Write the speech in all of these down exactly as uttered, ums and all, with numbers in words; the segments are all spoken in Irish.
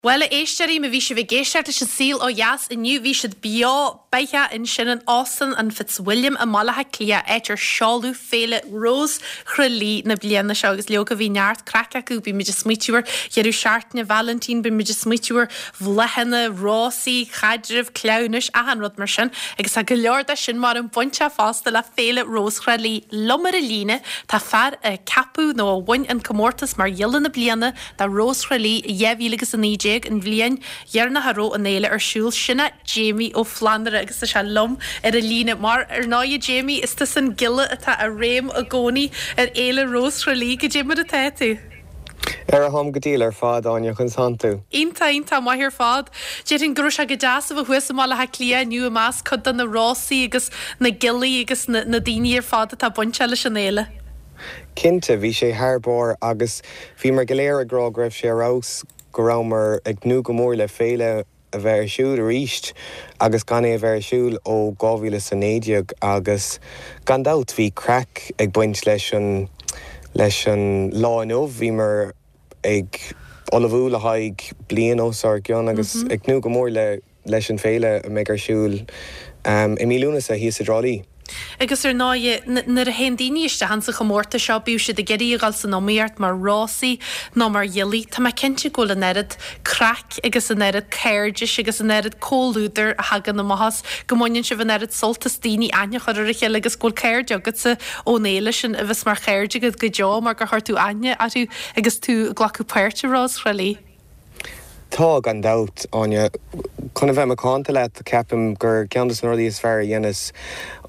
Bhuel a éisteoirí má bhí sibh ag éisteacht leis an saol ó dheas inniu bhí siad beo beatha ansin in Óstán an Fitzwilliam i mBaile Átha Cliath áit ar seoladh Féile Rós Thrá Lí na bliana seo agus leoga bhí neart craic acu bhí muid ag smaoitiú ar dheireadh seachtaine Vailintín bhí muid ag smaoitiú ar bhláthanna, rósaí, caidrimh, cleamhnais, achan rud mar sin agus tá go leor de sin mar an bainteach fosta le Féile Rós Thrá Lí liom ar an líne tá fear a ceapadh nó a bhain an comórtas mar ghiolla na bliana do Rós Thrá Lí dhá mhíle agus a naoi déag an bhliain dheireanach a raibh an fhéile ar siúl sin é Jamie Ó Flannúra agus tá sé liom ar an líne mar ar ndóigh Jamie is tusa an giolla atá i réim i gcónaí ar Fhéile Rós Thrá Lí goidé mar atá tú. Ar a hom go díl ar fad Áine conas tánn tú. Iontach iontach maith ar fad. Déarfainn go raibh sé go deas a bheith thuas i mBaile Átha Cliath inniu i measc cuid de na rósaí agus na giollaí agus na, na daoine ar fad atá bainteach leis an fhéile. Cinnte bhí sé thar barr agus bhí mar go léir ag rá go raibh sé ar fheabhas go rabhamar ag tnúth go mór le féile a bheith ar siúl arís agus gan é a bheith ar siúl ó dhá mhíle is a naoi déag agus gan dabht bhí craic ag baint leis an leis an lá inniu bhí mar ag ullmhú le haghaidh bliain os ár gcionn agus mm -hmm. ag tnúth go mór le leis an féile a mbeidh ar siúl um, i mí Lúnasa thíos i dTrá Lí. Agus ar ndóigh nuair a théann daoine isteach sa chomórtas seo bíodh siad ag iarraidh a dhul san iomaíocht mar rósaí nó mar ghiollaí, Tá mé cinnte go bhfuil an oiread craic agus an oiread cairdis agus an oiread comhluadar a thagann amach as go mbaineann sibh an oiread sult as daoine aithne a chur ar a chéile agus go bhfuil cairde agatsa ón fhéile sin a bheas mar chairde agat go deo mar gur chuir tú aithne orthu agus tú ag glacadh páirt i Rós Thrá Lí. Tá gan dabht Áine chun a bheith macánta leat ceapaim gur ceann de na rudaí is fearr a dhéanas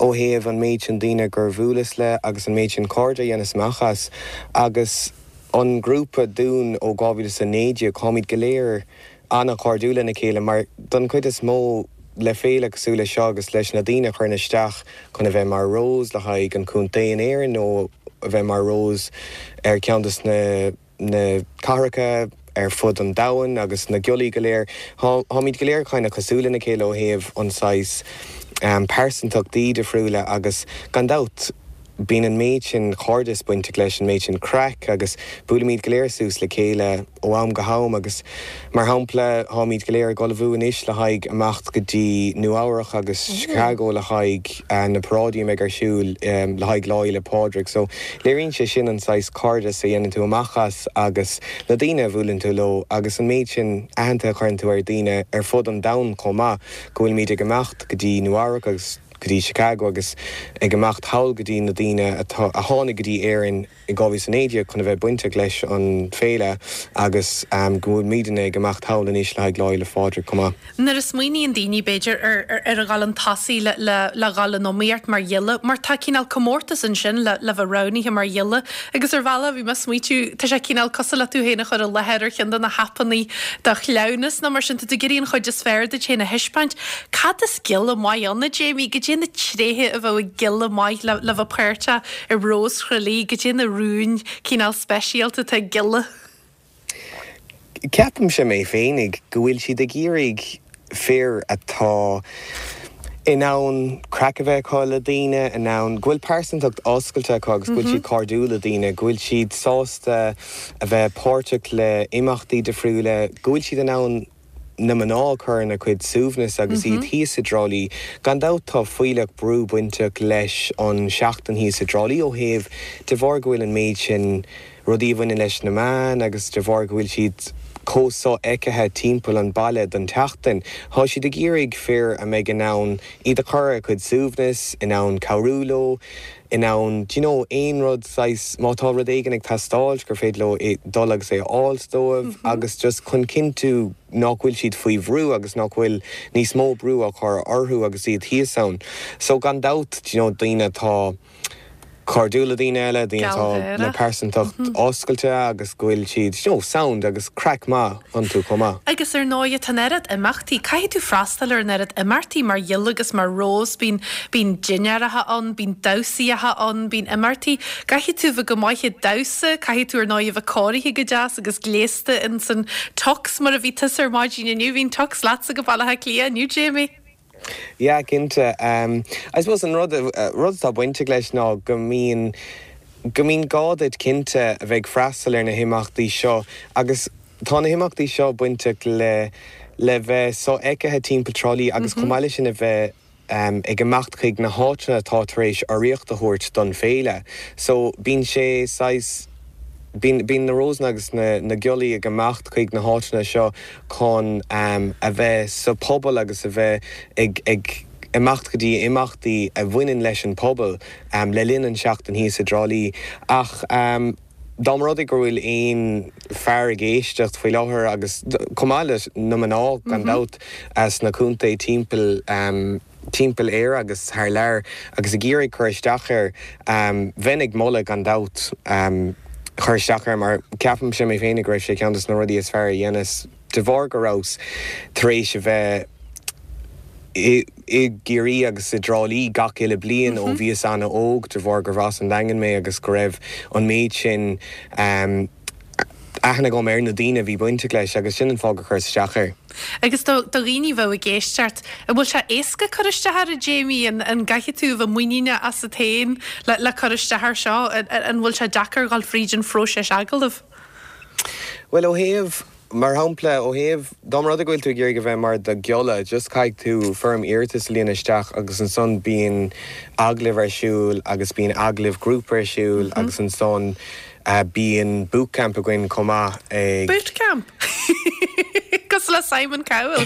ó thaobh an méid sin daoine gur bhuaileas le agus an méid sin cairde a dhéanas amach as agus an grúpa dúinn ó dhá mhíle is a naoi déag táimid go léir an-chairdiúil lena chéile mar don chuid is mó le féile cosúil le seo agus leis na daoine chuireann isteach chun a bheith mar Rós le haghaidh an chontae in Éirinn nó a bheith mar Rós ar ceann de na na cathracha ar fud an domhain agus na giollaí go léir táimid go léir kind of cosúil lena chéile ó thaobh an saghas um, pearsantachtaí difriúla agus gan dabht bíonn an méid sin cairdeas bainteach leis an méid sin craic agus buailimid go léir suas le chéile ó am go ham agus mar shampla táimid go léir ag ullmhú anois le haghaidh amach go dtí Nua-Eabhrac agus Chicago le haghaidh uh, na paráidí ag ar siúl um, le haghaidh Lá Fhéile Pádraig, so léiríonn sé sin an saghas cairdeas a dhéanann tú amach as agus na daoine a bhuaileann tú leo agus an méid sin aithne a chuireann tú ar daoine ar fud an domhain chomh maith go bhfuil muid ag imeacht go dtí Nua-Eabhrac agus go dtí Chicago agus ag imeacht thall go dtí na daoine a tháinig go dtí Éirinn i dhá mhíle naoi déag chun a bheith bainteach leis an féile agus um, go bhfuil muidne ag imeacht thall anois le haghaidh Lá Fhéile Pádraig chomh maith. Nuair a smaoiníonn daoine b'fhéidir ar ar ar a dhul chun tosaigh le le le dhul in iomaíocht mar ghiolla, mar tá cineál comórtas ansin le le bheith roghnaithe mar ghiolla, agus ar bhealach bhí mé ag smaoitiú tá sé cineál cosúil le tú féin a chur i láthair ar cheann de na haipeanna do chleamhnas nó mar sin tá tú ag iarraidh an chuid is fearr duit féin a thaispeáint. Cad is giolla maith ann a Jamie, goidé na tréithe a bheadh ag giolla maith le le bheith páirteach i Rós Thrá Lí, goidé na rúin cineál speisialta atá ag giolla. Ceapaimse mé féinig go bhfuil siad ag iarraidh fir atá in ann craic a bheith acu le daoine in ann go bhfuil pearsantacht oscailte acu agus go bhfuil siad cairdiúil le daoine, go bhfuil siad sásta a bheith páirteach le imeachtaí difriúla, go bhfuil siad in ann na mná chur ina gcuid suaimhneas agus iad thíos i dTrá Lí. Gan dabht tá fuílleach brú bainteach leis an seachtain thíos i dTrá Lí ó thaobh de bharr go bhfuil an méid sin rudaí a bhaineann leis na meáin agus de bharr go bhfuil siad chomh sofheicthe timpeall an baile don tseachtain. Tá siad ag iarraidh fir a mbeidh in ann iad a chur ar a gcuid suaimhneas, in ann cabhrú leo, in ann do you know, aon rud saghas má tá rud éigin ag teastáil gur féidir leo é dul agus é a fháil dóibh agus just chun cinntiú nach bhfuil siad faoi bhrú agus nach bhfuil níos mó brú á chur orthu agus iad thíos ann. So gan dabht you know, daoine atá cairdiúil le daoine eile, daoine atá le pearsantacht oscailte agus go bhfuil siad you know, sound agus craic maith iontu chomh maith. Agus ar ndóigh tá an oiread imeachtaí, caithfidh tú freastal ar an oiread imeachtaí mar ghiolla agus mar rós, bíonn bíonn dinnéaracha ann, bíonn damhsaíocha ann, bíonn imeachtaí. Caithfidh tú bheith go maith ag damhsa, caithfidh tú ar ndóigh bheith cóirithe go deas agus gléasta in san tux mar a bhí tusa ar maidin inniu, bhí an tux leatsa go Baile Átha Cliath inniu Jamie. Yeah, cinnte. Um, I suppose an rud uh, rud atá bainteach leis ná go mbíonn go mbíonn gá duit cinnte a bheith freastal ar na himeachtaí seo agus tá na himeachtaí seo bainteach le le bheith sofheicthe timpeall Trá Lí agus chomh maith leis sin a bheith um, ag imeacht chuig na háiteanna atá tar éis urraíocht a thabhairt don féile. So bíonn sé saghas Bíonn bíonn na rósanna agus na, na giollaí ag imeacht chuig na háiteanna seo chun um, a bheith sa pobal agus a bheith ag, ag imeacht go dtí imeachtaí a bhaineann leis an pobal um, le linn an seachtain thíos i dTrá Lí ach um, dá mba rud é go bhfuil aon fear ag éisteacht faoi láthair agus chomh maith leis na mná gan dabht as na contaetha timpeall um, timpeall Éire agus thar lear agus ag iarraidh cur isteach air um, bheinn ag moladh gan dabht um, chur isteach air mar ceapaimse mé féin go raibh sé ceann des na rudaí is fearr a dhéanas de bharr go rabhas tar éis a bheith i i gCiarraí agus i dTrá Lí gach uile bliain ó bhíos an-óg de bharr gur as an Daingean mé agus go raibh an méid sin um, aithne agam ar na daoine bhí bainteach leis agus sin an fáth gur chuireas isteach air. Agus do do dhaoine bheith ag éisteacht, an bhfuil sé éasca cur isteach air a Jamie an an gcaithfidh tú bheith muiníneach asat féin le le cur isteach air seo an an bhfuil sé deacair dul fríd an phróiseas agallaimh? Well ó thaobh mar shampla ó thaobh dá mba rud é go bhfuil tú ag iarraidh a bheith mar do ghiolla, just caithfidh tú foirm iarratais a líonadh isteach agus ansan bíonn agallamh ar siúl agus bíonn agallamh grúpa ar siúl agus ansan uh, bíonn bootcamp againn chomh maith ag Bootcamp! Cosúil le Simon Cowell.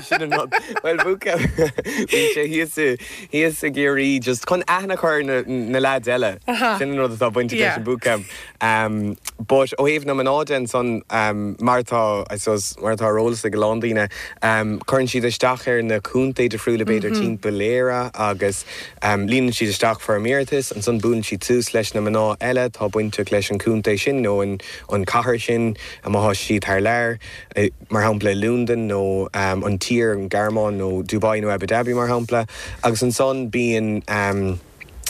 Sin an rud. Well bootcamp bíonn sé thíos i- thíos i gCiarraí just chun aithne a chur na, na lads eile. Aha. Sin an rud atá bainteach Yeah. leis an bootcamp. Um, but ó thaobh na mná de ansan um, mar tá I suppose, mar tá ar eolas ag a lán daoine um, cuireann siad isteach ar na contaetha difriúla b'fhéidir timpeall Éire agus um, líonann siad isteach foirm iarratais ansan buaileann siad suas leis na mná eile tá bainteach leis an contae sin nó an, an cathair sin má tá siad thar lear eh, mar shampla Londain nó um, an tír an Ghearmáin nó Dubai nó Abu Dhabi mar shampla agus ansan bíonn um,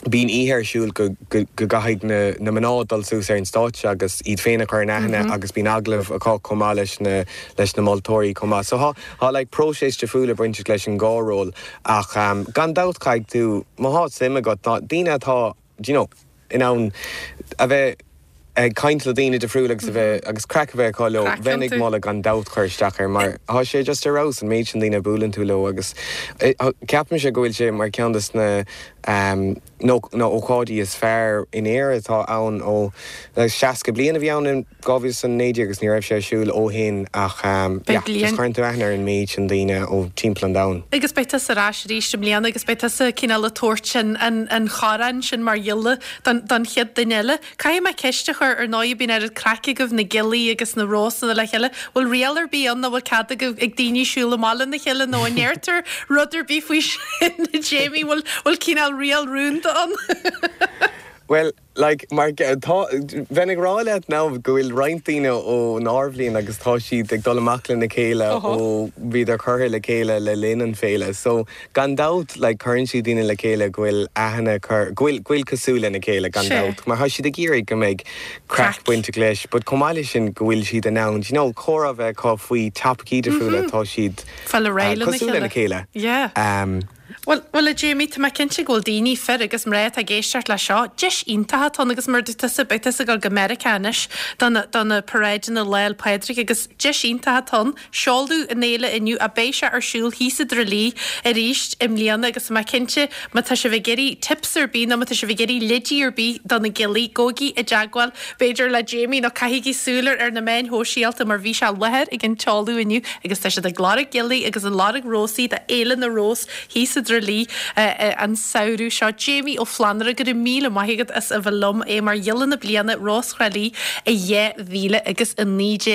Bíonn oíche ar siúl go, go, go gcaithfidh na, na mná dul suas ar an stáitse agus iad féin a chur in aithne agus bíonn agallamh acu chomh maith leis na, leis na moltóirí chomh maith. So tá tá like, próiseas difriúil bainteach leis an dhá ról ach um, gan dabht caithfidh tú má tá suim agat tá daoine atá do you know, in ann a bheith ag caint le daoine difriúil agus a bheith agus craic a bheith acu leo Craic bheinn ag iontu. moladh gan dabht chur isteach air mar tá sé just ar fheabhas an méid sin daoine buaileann tú leo agus eh, ceapaimse go bhfuil sé mar ceann des na um, nó na ócáidí is fearr in Éire atá ann ó seasca bliain a bhí ann in dhá mhíle is a naoi déag agus ní raibh sé ar siúl ó shin ach um, Beidh yeah, bliain- just cuireann tú aithne ar an méid sin daoine ó timpeall an domhain. Agus beidh tusa ar ais arís i mbliana agus beidh tusa cineál ag tabhairt an, an, an chorn sin mar ghiolla don, don chéad duine eile. Caithfidh mé ceist a chur ar ndóigh bíonn an craic agaibh na giollaí agus na rósanna le chéile, bhfuil riail ar bith ann nach bhfuil cead ag ag daoine siúl amach lena chéile nó an ndéartar rud ar bith faoi sin Jamie bhfuil bhfuil cineál riail rúnda ann. Well, like, mar tá bheinn ag rá leat ná go bhfuil roinnt daoine ónár mbliain agus tá siad ag dul amach lena chéile Oho. ó bhíodar curtha le chéile le linn an féile. So gan dabht like, cuireann siad daoine le chéile go bhfuil aithne cur go bhfuil go bhfuil cosúil lena chéile gan Sé. dabht. Mar tá siad ag iarraidh go mbeidh craic Craic. bainteach leis, but chomh maith leis sin go bhfuil siad in ann, you know, comhrá a bheith acu faoi topaicí difriúla tá siad Fáil ar uh, réidh lena cosúil lena chéile. chéile. Yeah. Um, Well, well a Jamie tá mé cinnte go bhfuil daoine fir agus mná ag éisteacht le seo, Deis iontach atá agus mar tusa beidh tusa ag dul go Meiriceá anois don na paráideanna Lá 'le Pádraig agus deis iontach atá ann seoladh an fhéile inniu a beidh sé ar siúl thíos i dTrá Lí arís i mbliana agus má cinnte má tá sibh ag iarraidh tips ar bith nó má tá sibh ag iarraidh leidí ar bith do na giollaí gabhaigí i dteagmháil b'fhéidir le Jamie nó caithigí súil ar na meáin shóisialta mar bhí sé i láthair ag an tseoladh inniu agus tá siad ag lorg giollaí agus ag lorg rósaí do Fhéile na Rós thíos i dTrá Lí an samhradh seo Jamie Ó Flannúra go raibh míle maith agat as a bheith liom é mar ghiolla na bliana Rós Thrá Lí i dhá mhíle agus a naoi déag.